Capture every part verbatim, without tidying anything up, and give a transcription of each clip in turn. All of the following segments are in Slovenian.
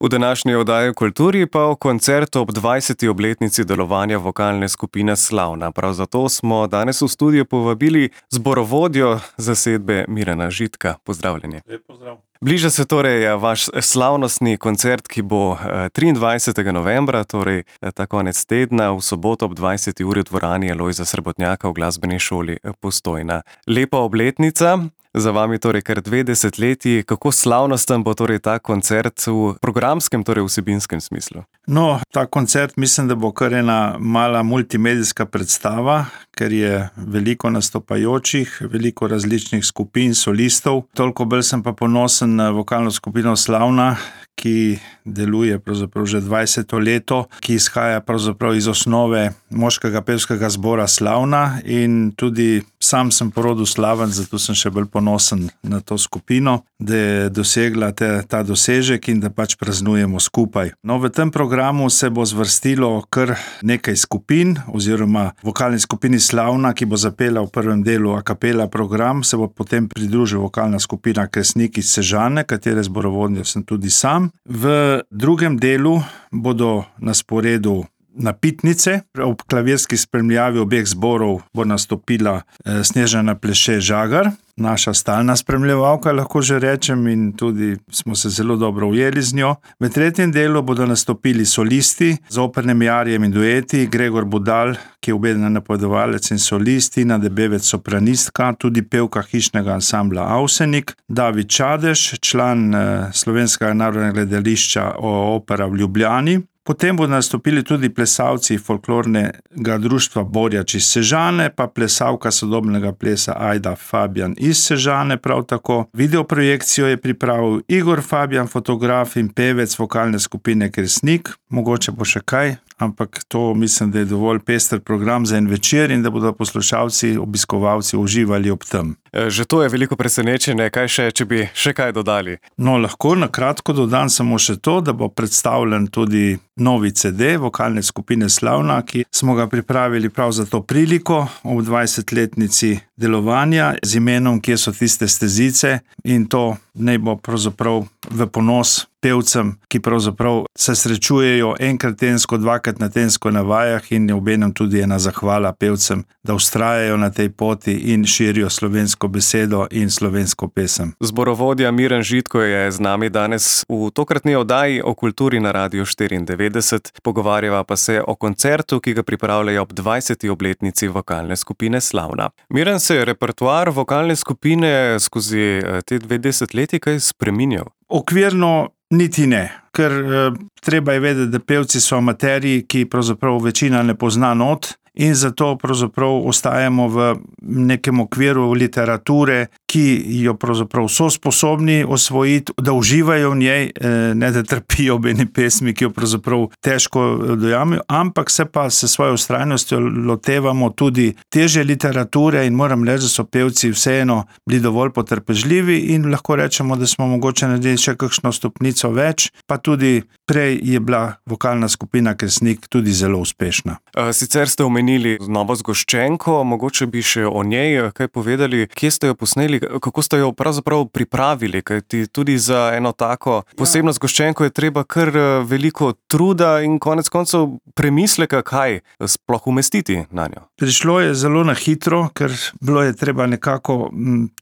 V današnji oddaji o kulturi pa o koncertu ob dvajseti obletnici delovanja vokalne skupine Slavna. Prav zato smo danes v studio povabili zborovodjo zasedbe Mirana Žitka. Pozdravljeni. Lep pozdrav. Bliža se torej vaš slavnostni koncert, ki bo triindvajsetega novembra, torej ta konec tedna, v soboto ob dvajseti uri v dvorani Lojza Srebotnjaka v glasbeni šoli Postojna. Lepa obletnica. Za vami torej kar dve desetletji. Kako slavnosten bo torej ta koncert v programskem, torej vsebinskem smislu? No, ta koncert mislim, da bo kar ena mala multimedijska predstava, ker je veliko nastopajočih, veliko različnih skupin, solistov. Toliko bolj sem pa ponosen na vokalno skupino Slavna, ki deluje pravzaprav že dvajseto leto, ki izhaja pravzaprav iz osnove moškega pevskega zbora Slavna in tudi sam sem po rodu Slaven, zato sem še bolj ponosen na to skupino, da je dosegla te, ta dosežek in da pač praznujemo skupaj. No, v tem programu se bo zvrstilo kar nekaj skupin oziroma vokalni skupini Slavna, ki bo zapela v prvem delu a capella program, se bo potem pridružila vokalna skupina Kresnik iz Sežane, katere zborovodja sem tudi sam. V drugem delu bodo na sporedu napitnice. Ob klavirski spremljavi obeh zborov bo nastopila Snežana Pleše Žagar, naša stalna spremljevalka, lahko že rečem, in tudi smo se zelo dobro ujeli z njo. V tretjem delu bodo nastopili solisti z opernimi arijem in dueti, Gregor Budal, ki je obeden napovedovalec in solist, Tina Debevec, sopranistka, tudi pevka hišnega ansambla Avsenik, David Čadež, član Slovenskega narodnega gledališča Opera v Ljubljani. Potem bodo nastopili tudi plesalci folklornega društva Borjač iz Sežane, pa plesalka sodobnega plesa Ajda Fabijan iz Sežane prav tako. Videoprojekcijo je pripravil Igor Fabijan, fotograf in pevec vokalne skupine Kresnik. Mogoče bo še kaj, ampak to mislim, da je dovolj pester program za en večer in da bodo poslušalci, obiskovalci uživali ob tem. Že to je veliko presenečenje, kaj še, če bi še kaj dodali? No, lahko na kratko dodam samo še to, da bo predstavljen tudi novi ce de vokalne skupine Slavna, ki smo ga pripravili prav za to priliko ob dvajsetletnici delovanja z imenom Kje so tiste stezice, in to naj bo pravzaprav v ponos pevcem, ki pravzaprav se srečujejo enkrat tedensko, dvakrat na tedensko na vajah, in je obenem tudi ena zahvala pevcem, da vztrajajo na tej poti in širijo slovensko besedo in slovensko pesem. Zborovodja Miran Žitko je z nami danes v tokratni oddaji o kulturi na Radiu štiriindevetdeset. Pogovarjava pa se o koncertu, ki ga pripravljajo ob dvajseti obletnici vokalne skupine Slavna. Miran, se je repertoar vokalne skupine skozi te dve desetletji kaj spreminjal? Okvirno niti ne, ker eh, treba je vedeti, da pevci so amaterji, ki pravzaprav večina ne pozna not, in zato pravzaprav ostajamo v nekem okviru literature, ki jo pravzaprav so sposobni osvojiti, da uživajo v njej, ne da trpijo ob eni pesmi, ki jo pravzaprav težko dojamejo, ampak se pa se svojo vztrajnostjo lotevamo tudi težje literature in moram reči, da so pevci vseeno bili dovolj potrpežljivi in lahko rečemo, da smo mogoče naredili še kakšno stopnico več, pa tudi prej je bila vokalna skupina Kresnik tudi zelo uspešna. Sicer ste omenili novo zgoščenko, mogoče bi še o njej kaj povedali, kje ste jo posneli, kako ste jo pravzaprav pripravili, kajti tudi za eno tako posebno zgoščenko je treba kar veliko truda in konec koncev premisleka, kaj sploh umestiti na njo. Prišlo je zelo na hitro, ker bilo je treba nekako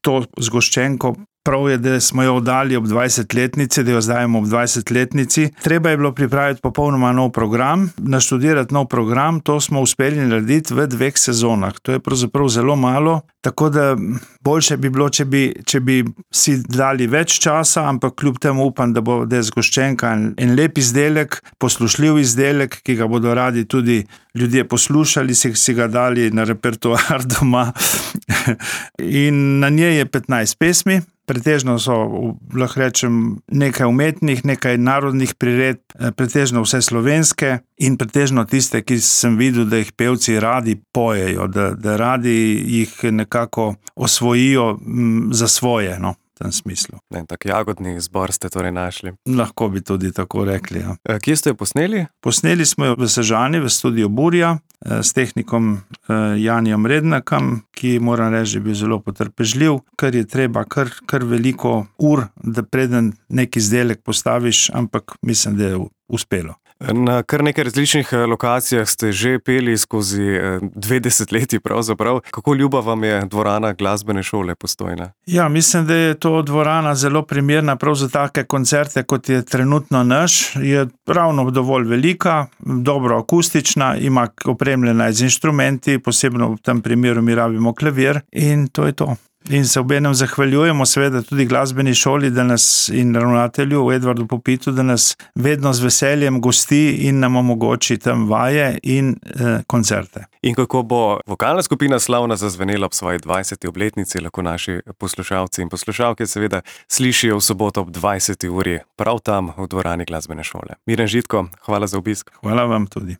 to zgoščenko, prav je, da smo jo oddali ob dvajsetletnici, da jo zdajemo ob dvajsetletnici. Treba je bilo pripraviti popolnoma nov program, naštudirati nov program, to smo uspeli narediti v dveh sezonah. To je pravzaprav zelo malo, tako da boljše bi bilo, če bi, če bi si dali več časa, ampak kljub temu upam, da bo da je zgoščenka en lep izdelek, poslušljiv izdelek, ki ga bodo radi tudi ljudje poslušali, si, si ga dali na repertoar doma. In na njej je petnajst pesmi. Pretežno so, lahko rečem, nekaj umetnih, nekaj narodnih priredb, pretežno vse slovenske in pretežno tiste, ki sem videl, da jih pevci radi pojejo, da, da radi jih nekako osvojijo m, za svoje, no. v tem smislu. En tak jagodni zbor ste torej našli. Lahko bi tudi tako rekli, ja. Kje ste jo posneli? Posneli smo jo v Sežani, v studiu Burja, s tehnikom Janijom Rednakom, ki moram reči, je bil zelo potrpežljiv, ker je treba kar, kar veliko ur, da preden neki izdelek postaviš, ampak mislim, da je uspelo. Na kar nekaj različnih lokacijah ste že peli skozi dve desetletji pravzaprav. Kako ljuba vam je dvorana glasbene šole Postojna? Ja, mislim, da je to dvorana zelo primerna prav za take koncerte, kot je trenutno naš. Je ravno dovolj velika, dobro akustična, ima opremljena z inštrumenti, posebno v tem primeru mi rabimo klavir in to je to. In se obenem zahvaljujemo seveda tudi glasbeni šoli, da nas in ravnatelju Edvardu Popitu, da nas vedno z veseljem gosti in nam omogoči tam vaje in eh, koncerte. In kako bo vokalna skupina Slavna zazvenela ob svoji dvajseti obletnici, lahko naši poslušalci in poslušalke seveda slišijo v soboto ob dvajseti uri prav tam v dvorani glasbene šole. Miren Žitko, hvala za obisk. Hvala vam tudi.